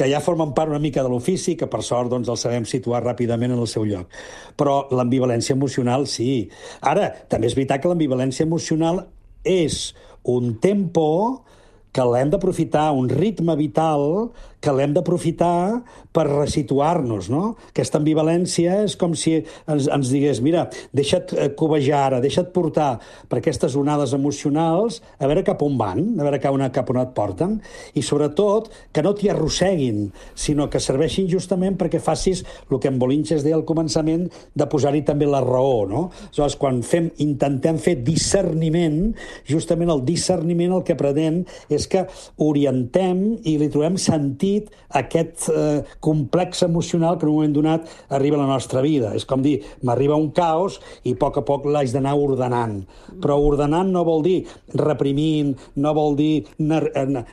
que ja formen part una mica de l'ofici, que per sort doncs, els sabem situar ràpidament en el seu lloc. Però l'ambivalència emocional, sí. Ara, també és veritat que l'ambivalència emocional és un tempo que l'hem d'aprofitar, un ritme vital que l'hem d'aprofitar per resituar-nos, no? Aquesta ambivalència és com si ens, ens digués, mira, deixa't cobejar ara, deixa't portar per aquestes onades emocionals, a veure cap on van, a veure cap on, cap on et porten, i sobretot que no t'hi arrosseguin, sinó que serveixin justament perquè facis el que en Bolinches deia al començament, de posar-hi també la raó, no? Aleshores, quan fem, intentem fer discerniment, justament el discerniment el que pretén és que orientem i li trobem sentit aquest eh, complex emocional que en un moment donat arriba a la nostra vida. És com dir, m'arriba un caos i a poc a poc l'haig d'anar ordenant. Però ordenant no vol dir reprimint, no vol dir nar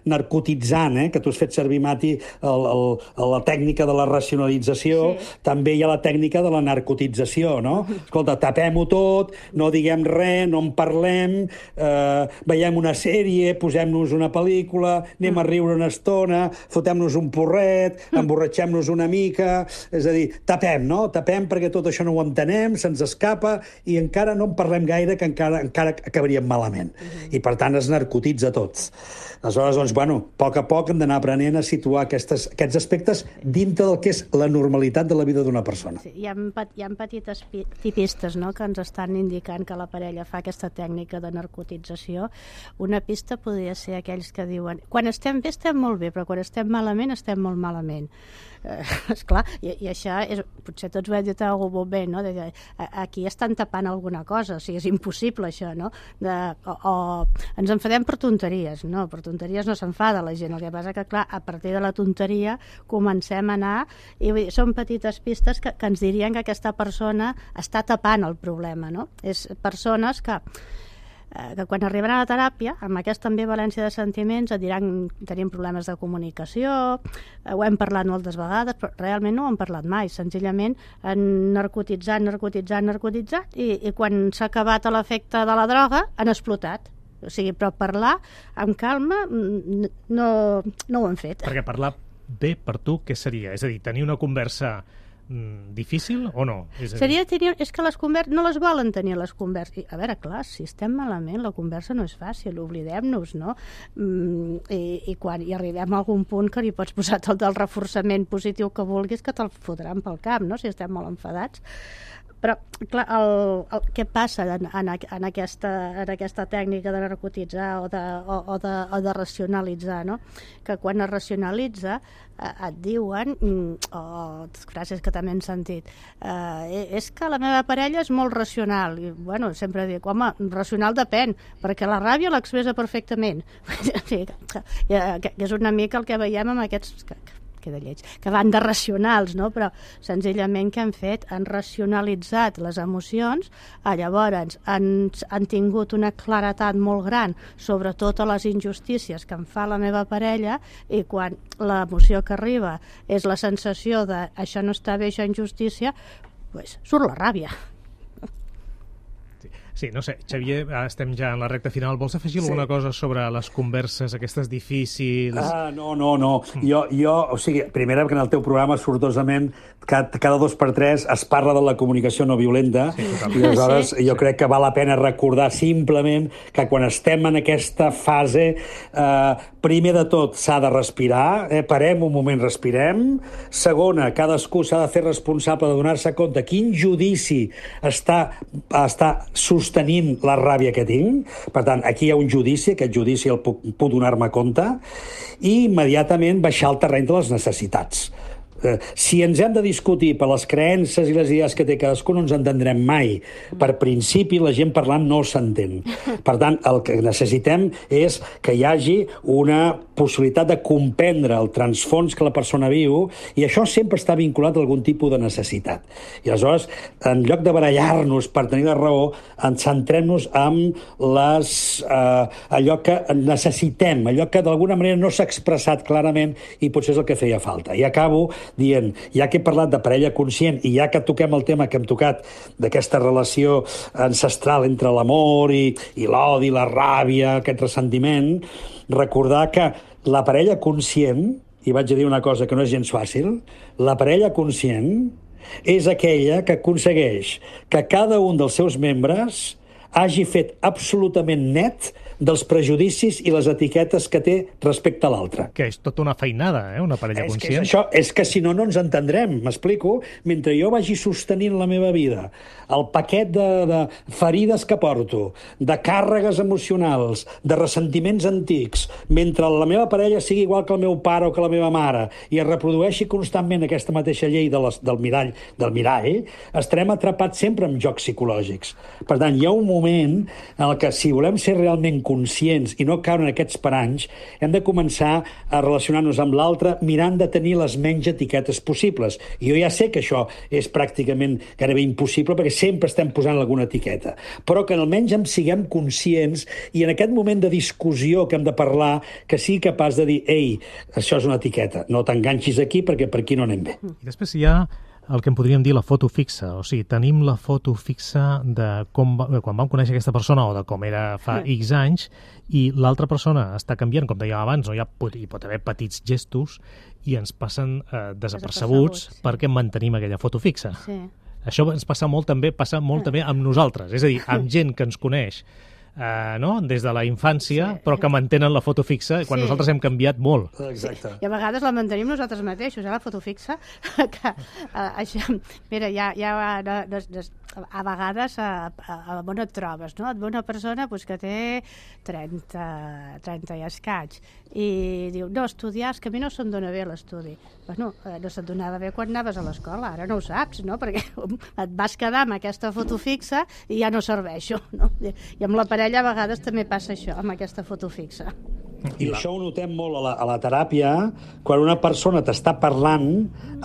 narcotitzant, eh? Que tu has fet servir, Mati, el, el, la tècnica de la racionalització, sí. També hi ha la tècnica de la narcotització, no? Escolta, tapem-ho tot, no diguem res, no en parlem, eh, veiem una sèrie, posem-nos una pel·lícula, anem a riure una estona, fotem-nos fumem-nos un porret, emborratxem-nos una mica, és a dir, tapem, no? Tapem perquè tot això no ho entenem, se'ns escapa i encara no en parlem gaire, que encara, encara acabaríem malament. Uh-huh. I, per tant, es narcotitza tot. Aleshores, doncs, bueno, a poc a poc hem d'anar aprenent a situar aquestes, aquests aspectes dintre del que és la normalitat de la vida d'una persona. Sí, hi ha, hi ha petites tipistes, no?, que ens estan indicant que la parella fa aquesta tècnica de narcotització. Una pista podria ser aquells que diuen quan estem bé estem molt bé, però quan estem malament estem molt malament. Eh, esclar, i, i això és, potser tots ho hem dit a algú molt bé, no? De, de, aquí estan tapant alguna cosa, o sigui, és impossible això, no? De, o, o ens enfadem per tonteries, no? Per tonteries no s'enfada la gent, el que passa que, clar, a partir de la tonteria comencem a anar, i vull dir, són petites pistes que, que ens dirien que aquesta persona està tapant el problema, no? És persones que que quan arriben a la teràpia, amb aquesta ambivalència de sentiments, et diran que tenim problemes de comunicació, ho hem parlat moltes vegades, però realment no ho hem parlat mai, senzillament han narcotitzat, narcotitzat, narcotitzat, i, i quan s'ha acabat l'efecte de la droga, han explotat. O sigui, però parlar amb calma no, no ho han fet. Perquè parlar bé per tu, què seria? És a dir, tenir una conversa difícil o no? És, a dir... Seria tenir... és que les converses no les volen tenir, les converses. A veure, clar, si estem malament, la conversa no és fàcil, oblidem-nos, no? Mm, i, i quan hi arribem a algun punt que li pots posar tot el reforçament positiu que vulguis, que te'l fotran pel cap, no?, si estem molt enfadats. Però, clar, el, el, què passa en, en, en, aquesta, en aquesta tècnica de narcotitzar o de, o, o de, o de racionalitzar, no? Que quan es racionalitza eh, et diuen, o oh, frases que també hem sentit, eh, és que la meva parella és molt racional. I, bueno, sempre dic, home, racional depèn, perquè la ràbia l'expressa perfectament. que, que és una mica el que veiem amb aquests... Que, de lleig, que van de racionals, no? Però senzillament què han fet? Han racionalitzat les emocions, eh, llavors han, han tingut una claretat molt gran sobre totes les injustícies que em fa la meva parella, i quan l'emoció que arriba és la sensació de això no està bé, això injustícia, pues, surt la ràbia. Sí, no sé, Xavier, estem ja en la recta final. Vols afegir sí. alguna cosa sobre les converses aquestes difícils? Ah, no, no, no. Jo, jo, o sigui, primera, que en el teu programa, sortosament, cada, cada dos per tres es parla de la comunicació no violenta, sí, i aleshores sí. jo sí. crec que val la pena recordar simplement que quan estem en aquesta fase, eh, primer de tot s'ha de respirar, eh, parem un moment, respirem. Segona, cadascú s'ha de fer responsable de donar-se compte quin judici està, està sostenint la ràbia que tinc. Per tant, aquí hi ha un judici, aquest judici el puc, puc donar-me compte, i immediatament baixar al terreny de les necessitats. Eh, si ens hem de discutir per les creences i les idees que té cadascú, no ens entendrem mai. Per principi, la gent parlant no s'entén. Per tant, el que necessitem és que hi hagi una possibilitat de comprendre el transfons que la persona viu, i això sempre està vinculat a algun tipus de necessitat. I aleshores, en lloc de barallar-nos per tenir la raó, centrem-nos en les, eh, allò que necessitem, allò que d'alguna manera no s'ha expressat clarament i potser és el que feia falta. I acabo dient, ja que he parlat de parella conscient i ja que toquem el tema que hem tocat d'aquesta relació ancestral entre l'amor i, i l'odi, la ràbia, aquest ressentiment, recordar que la parella conscient, i vaig a dir una cosa que no és gens fàcil, la parella conscient és aquella que aconsegueix que cada un dels seus membres hagi fet absolutament net dels prejudicis i les etiquetes que té respecte a l'altre. Que és tota una feinada, eh? Una parella és conscient. Que és, això, és que si no, no ens entendrem, m'explico? Mentre jo vagi sostenint la meva vida, el paquet de, de ferides que porto, de càrregues emocionals, de ressentiments antics, mentre la meva parella sigui igual que el meu pare o que la meva mare, i es reprodueixi constantment aquesta mateixa llei de les, del mirall, del mirall, estarem atrapats sempre amb jocs psicològics. Per tant, hi ha un moment en el que, si volem ser realment conscients i no caure en aquests paranys, hem de començar a relacionar-nos amb l'altre mirant de tenir les menys etiquetes possibles. I jo ja sé que això és pràcticament gairebé impossible perquè sempre estem posant alguna etiqueta, però que almenys en siguem conscients i en aquest moment de discussió que hem de parlar, que sigui capaç de dir, ei, això és una etiqueta, no t'enganxis aquí perquè per aquí no anem bé. I després hi ha el que en podríem dir la foto fixa. O sigui, tenim la foto fixa de com va, quan vam conèixer aquesta persona o de com era fa X anys, i l'altra persona està canviant, com dèiem abans, no? Hi, ha, hi pot haver petits gestos i ens passen eh, desapercebuts sí. perquè mantenim aquella foto fixa. Sí. Això ens passa molt també, passa molt també amb nosaltres, és a dir, amb gent que ens coneix Uh, no? des de la infància, sí. però que mantenen la foto fixa quan sí. nosaltres hem canviat molt. Exacte. Sí. I a vegades la mantenim nosaltres mateixos, eh, la foto fixa. que, uh, això, mira, ja, ja no, no, no, a vegades a, a, a on et trobes, no? Et ve una persona pues, que té trenta, trenta i escaig i diu, no, estudiar, és que a mi no se'm dona bé l'estudi. Bueno, no se't donava bé quan anaves a l'escola, ara no ho saps, no? Perquè et vas quedar amb aquesta foto fixa i ja no serveixo, no? I amb la parella a vegades també passa això, amb aquesta foto fixa. I això ho notem molt a la, a la teràpia, quan una persona t'està parlant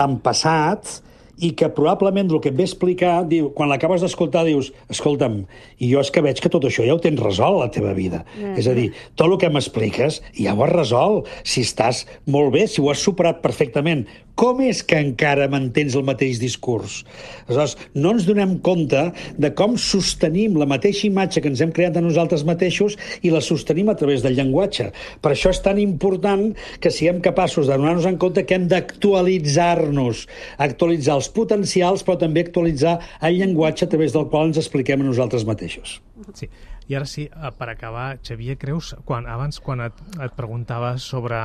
en passat i que probablement el que et ve explicar, diu, quan l'acabes d'escoltar dius, escolta'm, i jo és que veig que tot això ja ho tens resolt a la teva vida. Mm. És a dir, tot el que m'expliques ja ho has resolt. Si estàs molt bé, si ho has superat perfectament, com és que encara mantens el mateix discurs? Aleshores, no ens donem compte de com sostenim la mateixa imatge que ens hem creat de nosaltres mateixos i la sostenim a través del llenguatge. Per això és tan important que siguem capaços de donar-nos en compte que hem d'actualitzar-nos, actualitzar els potencials, però també actualitzar el llenguatge a través del qual ens expliquem a nosaltres mateixos. Sí. I ara sí, per acabar, Xavier, creus, quan, abans quan et, et preguntaves sobre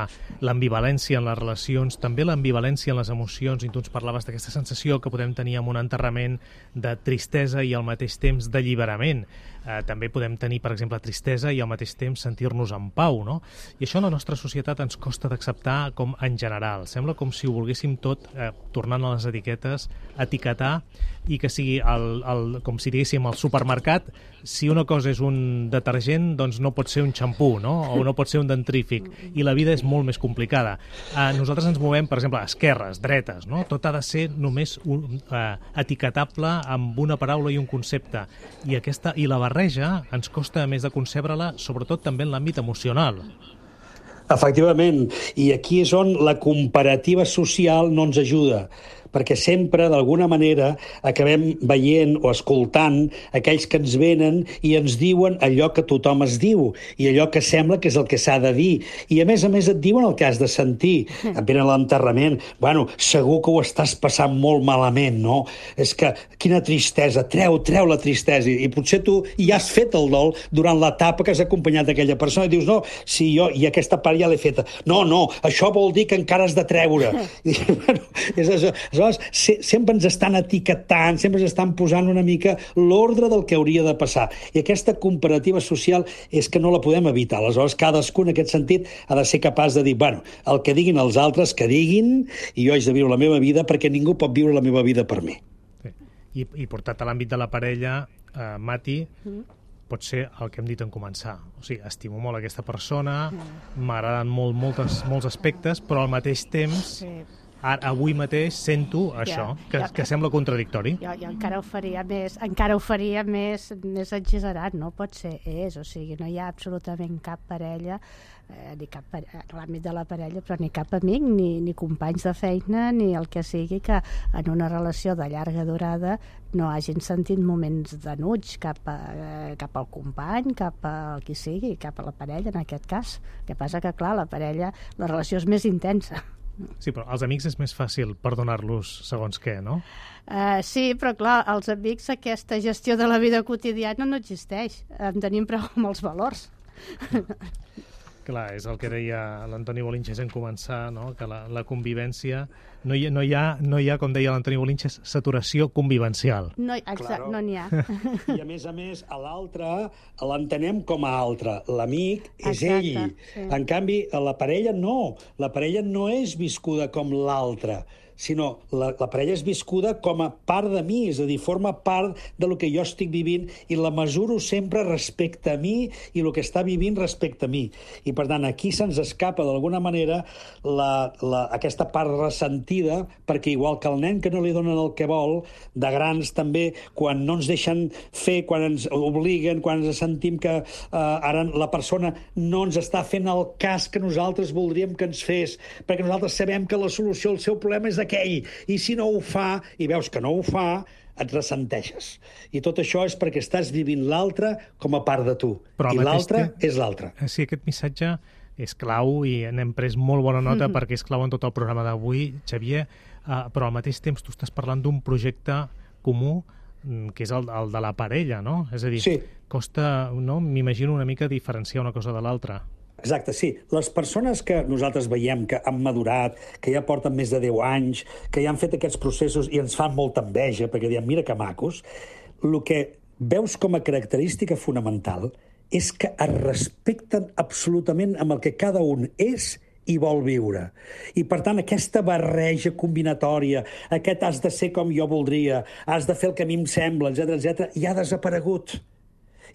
l'ambivalència en les relacions, també l'ambivalència en les emocions, i tu ens parlaves d'aquesta sensació que podem tenir amb un enterrament de tristesa i al mateix temps d'alliberament. Eh, també podem tenir, per exemple, tristesa i al mateix temps sentir-nos en pau, no? I això a la nostra societat ens costa d'acceptar com en general. Sembla com si ho volguéssim tot, eh, tornant a les etiquetes, etiquetar i que sigui, el, el, com si diguéssim, al supermercat, si una cosa és un detergent, doncs no pot ser un xampú, no? O no pot ser un dentrífic. I la vida és molt més complicada. Eh, nosaltres ens movem, per exemple, a esquerres, dretes, no? Tot ha de ser només un, eh, etiquetable amb una paraula i un concepte. I, aquesta, i la barreja ens costa més de concebre-la, sobretot també en l'àmbit emocional. Efectivament, i aquí és on la comparativa social no ens ajuda, perquè sempre, d'alguna manera, acabem veient o escoltant aquells que ens venen i ens diuen allò que tothom es diu i allò que sembla que és el que s'ha de dir. I, a més a més, et diuen el que has de sentir. Et venen a l'enterrament. Bueno, segur que ho estàs passant molt malament, no? És que, quina tristesa, treu, treu la tristesa. I potser tu ja has fet el dol durant l'etapa que has acompanyat aquella persona i dius, no, si jo, i aquesta part ja l'he feta. No, no, això vol dir que encara has de treure. I, bueno, és això. Aleshores, sempre ens estan etiquetant, sempre ens estan posant una mica l'ordre del que hauria de passar. I aquesta comparativa social és que no la podem evitar. Aleshores, cadascú en aquest sentit ha de ser capaç de dir, bueno, el que diguin els altres, que diguin, i jo haig de viure la meva vida perquè ningú pot viure la meva vida per mi. Sí. I, i portat a l'àmbit de la parella, eh, Mati, mm. pot ser el que hem dit en començar. O sigui, estimo molt aquesta persona, m'agraden molt, moltes, molts aspectes, però al mateix temps... Sí. Ara, avui mateix sento això, ja, que, ja, que sembla contradictori. Jo, jo encara ho faria més, encara ho faria més, més exagerat, no pot ser, és, o sigui, no hi ha absolutament cap parella, eh, ni cap pare... en l'àmbit de la parella, però ni cap amic, ni, ni companys de feina, ni el que sigui, que en una relació de llarga durada no hagin sentit moments d'enuig cap, a, eh, cap al company, cap al qui sigui, cap a la parella, en aquest cas. El que passa que, clar, la parella, la relació és més intensa. Sí, però als amics és més fàcil perdonar-los segons què, no? Uh, sí, però clar, als amics aquesta gestió de la vida quotidiana no existeix. En tenim prou amb els valors. Clar, és el que deia l'Antoni Bolinches en començar, no? Que la, la convivència... No hi, no, hi ha, no hi ha, com deia l'Antoni Bolinches, saturació convivencial. No, exacte, claro. No n'hi ha. I a més a més, a l'altre l'entenem com a altre. L'amic és exacte, ell. Sí. En canvi, la parella no. La parella no és viscuda com l'altre, sinó la, la parella és viscuda com a part de mi, és a dir, forma part de lo que jo estic vivint i la mesuro sempre respecte a mi i el que està vivint respecte a mi. I, per tant, aquí se'ns escapa, d'alguna manera, la, la, aquesta part ressentida, perquè igual que el nen que no li donen el que vol, de grans també, quan no ens deixen fer, quan ens obliguen, quan ens sentim que eh, ara la persona no ens està fent el cas que nosaltres voldríem que ens fes, perquè nosaltres sabem que la solució al seu problema és aquell, i si no ho fa, i veus que no ho fa, et ressenteixes. I tot això és perquè estàs vivint l'altre com a part de tu. Però I l'altre temps... és l'altre. Sí, aquest missatge és clau i n'hem pres molt bona nota mm-hmm. perquè és clau en tot el programa d'avui, Xavier, uh, però al mateix temps tu estàs parlant d'un projecte comú que és el, el de la parella, no? És a dir, sí. costa, no? M'imagino una mica diferenciar una cosa de l'altra. Exacte, sí. Les persones que nosaltres veiem que han madurat, que ja porten més de deu anys, que ja han fet aquests processos i ens fan molta enveja, perquè diem, mira que macos, el que veus com a característica fonamental és que es respecten absolutament amb el que cada un és i vol viure. I, per tant, aquesta barreja combinatòria, aquest has de ser com jo voldria, has de fer el que a mi em sembla, etcètera, etcètera, ja ha desaparegut.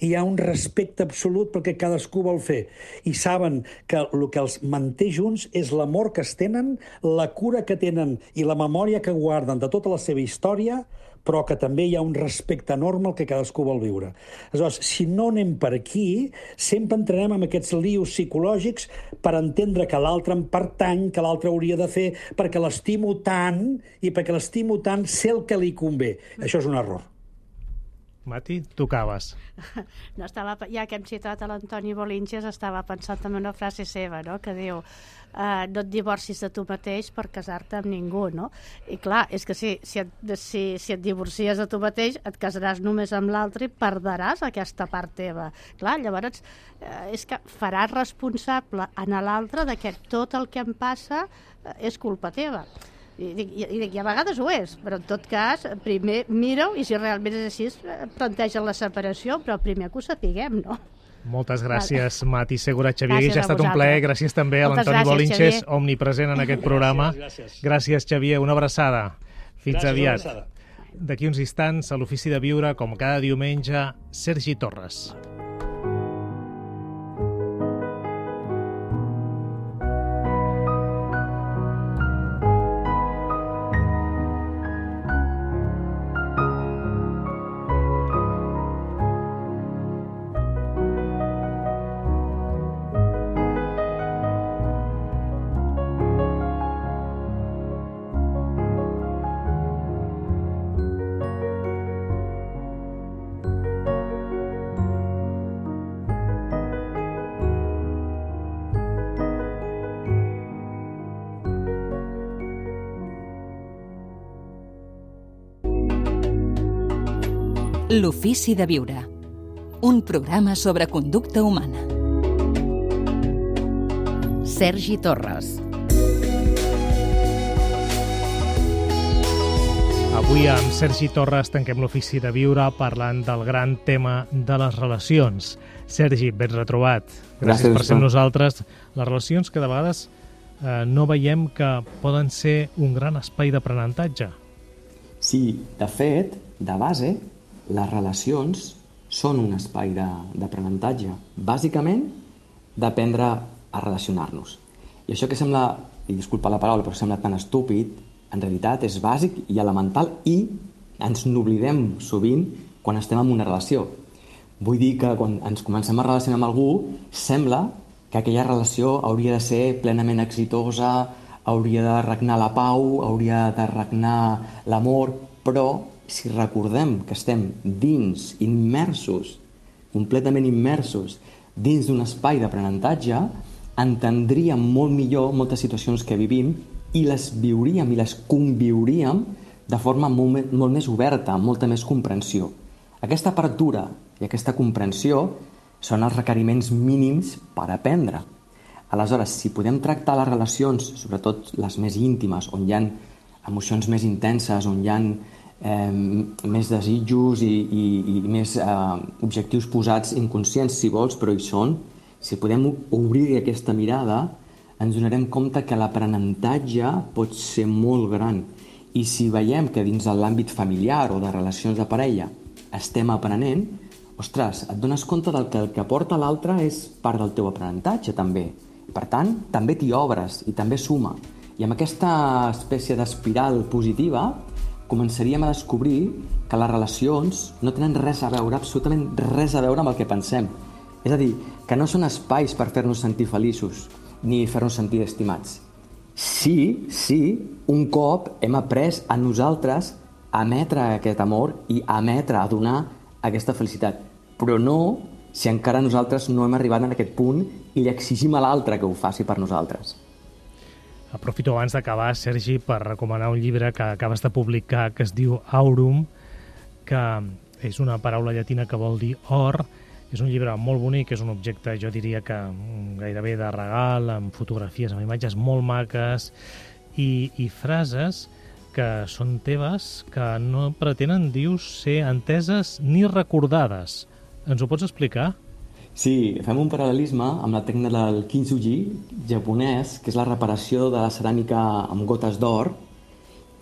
I hi ha un respecte absolut perquè cadascú vol fer. I saben que el que els manté junts és l'amor que es tenen, la cura que tenen i la memòria que guarden de tota la seva història, però que també hi ha un respecte enorme al que cadascú vol viure. Aleshores, si no anem per aquí, sempre entrarem en aquests lius psicològics per entendre que l'altre em pertany, que l'altre hauria de fer, perquè l'estimo tant, i perquè l'estimo tant sé el que li convé. Això és un error. Mati, tu acabes. No, estava, ja que hem citat a l'Antoni Bolinches, estava pensant en una frase seva, no?, que diu eh, no et divorcis de tu mateix per casar-te amb ningú, no? I clar, és que si, si, et, si, si et divorcies de tu mateix, et casaràs només amb l'altre i perdràs aquesta part teva. Clar, llavors eh, és que faràs responsable a l'altre de que tot el que em passa eh, és culpa teva. I dic, i, i, dic, i a vegades ho és, però en tot cas, primer mira-ho i si realment és així, plantegen la separació, però primer que ho sapiguem, no? Moltes gràcies, vale. Mati Segura. Xavier, gràcies ja ha estat un plaer. Gràcies també a l'Antoni Bolinches, Xavier. Omnipresent en aquest programa. Gràcies, gràcies. Gràcies, Xavier. Una abraçada. Fins gràcies, aviat. D'aquí uns instants, a l'Ofici de Viure, com cada diumenge, Sergi Torres. L'Ofici de Viure, un programa sobre conducta humana. Sergi Torres. Avui amb Sergi Torres tanquem l'Ofici de Viure parlant del gran tema de les relacions. Sergi, ben retrobat. Gràcies, Gràcies per ser amb nosaltres. Les relacions que de vegades eh, no veiem que poden ser un gran espai d'aprenentatge. Sí, de fet, de base, les relacions són un espai d'aprenentatge. Bàsicament, d'aprendre a relacionar-nos. I això que sembla, i disculpa la paraula, però sembla tan estúpid, en realitat és bàsic i elemental i ens n'oblidem sovint quan estem en una relació. Vull dir que quan ens comencem a relacionar amb algú, sembla que aquella relació hauria de ser plenament exitosa, hauria de regnar la pau, hauria de regnar l'amor, però si recordem que estem dins, immersos, completament immersos, dins d'un espai d'aprenentatge, entendríem molt millor moltes situacions que vivim i les viuríem i les conviuríem de forma molt, molt més oberta, amb molta més comprensió. Aquesta apertura i aquesta comprensió són els requeriments mínims per aprendre. Aleshores, si podem tractar les relacions, sobretot les més íntimes, on hi ha emocions més intenses, on hi ha eh, més desitjos i, i, i més eh, objectius posats inconscients, si vols, però hi són, si podem obrir aquesta mirada, ens donarem compte que l'aprenentatge pot ser molt gran. I si veiem que dins de l'àmbit familiar o de relacions de parella estem aprenent, ostres, et dones compte del que el que aporta l'altre és part del teu aprenentatge, també. Per tant, també t'hi obres i també suma. I amb aquesta espècie d'espiral positiva començaríem a descobrir que les relacions no tenen res a veure, absolutament res a veure amb el que pensem. És a dir, que no són espais per fer-nos sentir feliços ni fer-nos sentir estimats. Sí, sí, un cop hem après a nosaltres a emetre aquest amor i a emetre, a donar aquesta felicitat. Però no si encara nosaltres no hem arribat en aquest punt i li exigim a l'altre que ho faci per nosaltres. Aprofito abans d'acabar, Sergi, per recomanar un llibre que acabes de publicar que es diu Aurum, que és una paraula llatina que vol dir or. És un llibre molt bonic, és un objecte, jo diria que gairebé de regal, amb fotografies, amb imatges molt maques i, i frases que són teves, que no pretenen, dius, ser enteses ni recordades. Ens ho pots explicar? Sí, fem un paral·lelisme amb la tècnica del kintsugi japonès, que és la reparació de la ceràmica amb gotes d'or,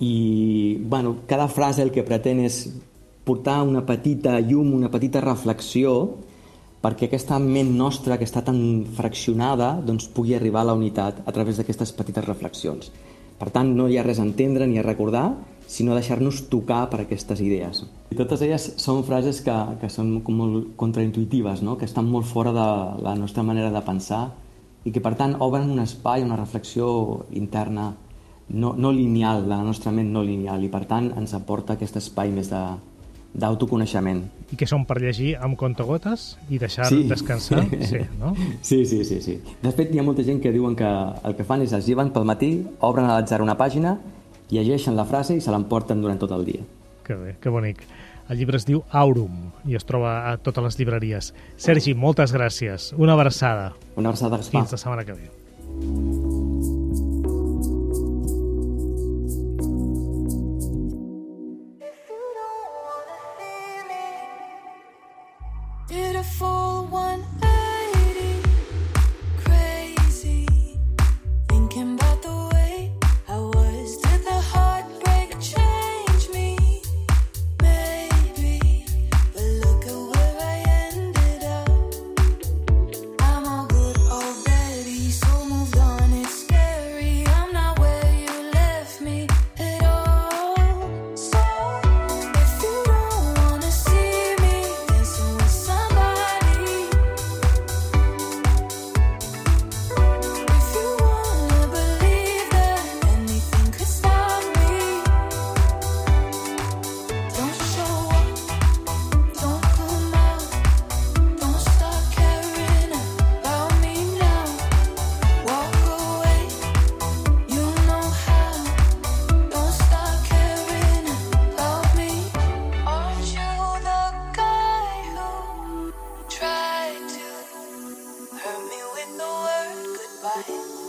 i bueno, cada frase el que pretén és portar una petita llum, una petita reflexió, perquè aquesta ment nostra que està tan fraccionada doncs, pugui arribar a la unitat a través d'aquestes petites reflexions. Per tant, no hi ha res a entendre ni a recordar, sinó deixar-nos tocar per aquestes idees. I totes elles són frases que, que són com molt contraintuitives, no? Que estan molt fora de la nostra manera de pensar i que, per tant, obren un espai, una reflexió interna no, no lineal, de la nostra ment no lineal, i, per tant, ens aporta aquest espai més de d'autoconeixement. I que són per llegir amb contagotes i deixar sí. descansar? Sí, no? Sí, sí, sí, sí. De fet, hi ha molta gent que diuen que el que fan és es lleven pel matí, obren a l'atzar una pàgina, llegeixen la frase i se l'emporten durant tot el dia. Que bé, que bonic. El llibre es diu Aurum i es troba a totes les llibreries. Sergi, moltes gràcies. Una abraçada. Una abraçada, Gaspar. Fins la setmana que ve. Beautiful one eighty, crazy, thinking about the way I was. Did the heartbreak change me? Maybe, but look at where I ended up. I'm all good already, so moved on, it's scary. I'm not where you left me at all. So, if you don't wanna see me dancing with somebody,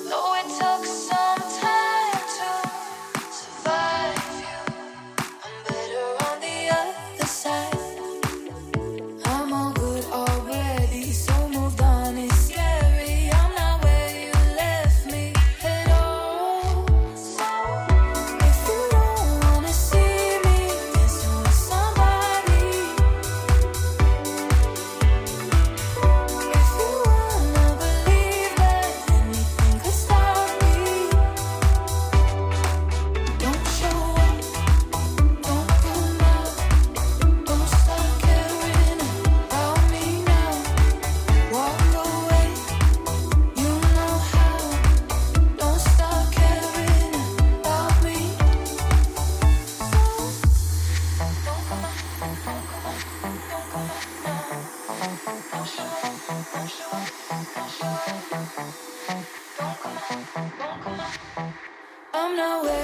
though it took some time to survive you, I'm better on the other side. I'm all good already, so moved on, it's scary. I'm not where you left me at all. So, if you don't wanna see me dancing with somebody, if you wanna believe that anything could stop me, don't show up, don't come out, don't start caring about me now. Walk away, you know how, don't start caring about me. I'm not where